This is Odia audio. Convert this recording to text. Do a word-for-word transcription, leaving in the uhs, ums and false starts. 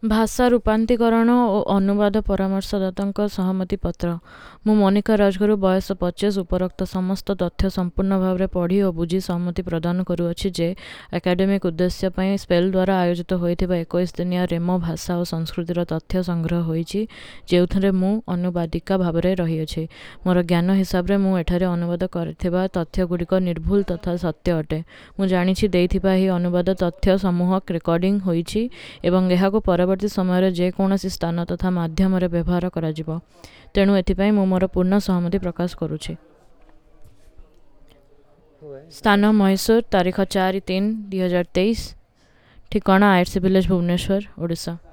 ଭାଷା ରୂପାନ୍ତୀକରଣ ଓ ଅନୁବାଦ ପରାମର୍ଶଦାତାଙ୍କ ସହମତି ପତ୍ର। ମୁଁ ମୋନିକା ରାଜଗୁରୁ, ବୟସ ପଚିଶ, ଉପରୋକ୍ତ ସମସ୍ତ ତଥ୍ୟ ସମ୍ପୂର୍ଣ୍ଣ ଭାବରେ ପଢ଼ି ଓ ବୁଝି ସହମତି ପ୍ରଦାନ କରୁଅଛି ଯେ ଏକାଡେମିକ୍ ଉଦ୍ଦେଶ୍ୟ ପାଇଁ ସ୍ପେଲ୍ ଦ୍ୱାରା ଆୟୋଜିତ ହୋଇଥିବା ଏକୋଇଶ ଦିନିଆ ରେମୋ ଭାଷା ଓ ସଂସ୍କୃତିର ତଥ୍ୟ ସଂଗ୍ରହ ହୋଇଛି, ଯେଉଁଥିରେ ମୁଁ ଅନୁବାଦିକା ଭାବରେ ରହିଅଛି। ମୋର ଜ୍ଞାନ ହିସାବରେ ମୁଁ ଏଠାରେ ଅନୁବାଦ କରିଥିବା ତଥ୍ୟ ଗୁଡ଼ିକ ନିର୍ଭୁଲ ତଥା ସତ୍ୟ ଅଟେ। ମୁଁ ଜାଣିଛି ଦେଇଥିବା ଏହି ଅନୁବାଦ ତଥ୍ୟ ସମୂହ ରେକର୍ଡ଼ିଂ ହୋଇଛି ଏବଂ ଏହାକୁ ପରବର୍ତ୍ତୀ ସମୟରେ ଯେକୌଣସି ସ୍ଥାନ ତଥା ମାଧ୍ୟମରେ ବ୍ୟବହାର କରାଯିବ। ତେଣୁ ଏଥିପାଇଁ ମୁଁ ମୋର ପୂର୍ଣ୍ଣ ସହମତି ପ୍ରକାଶ କରୁଛି। ସ୍ଥାନ ମହୀଶୂର, ତାରିଖ ଚାରି ତିନି ଦୁଇ ହଜାର ତେଇଶ, ଠିକଣା I R C village, Bhubaneswar, Odisha.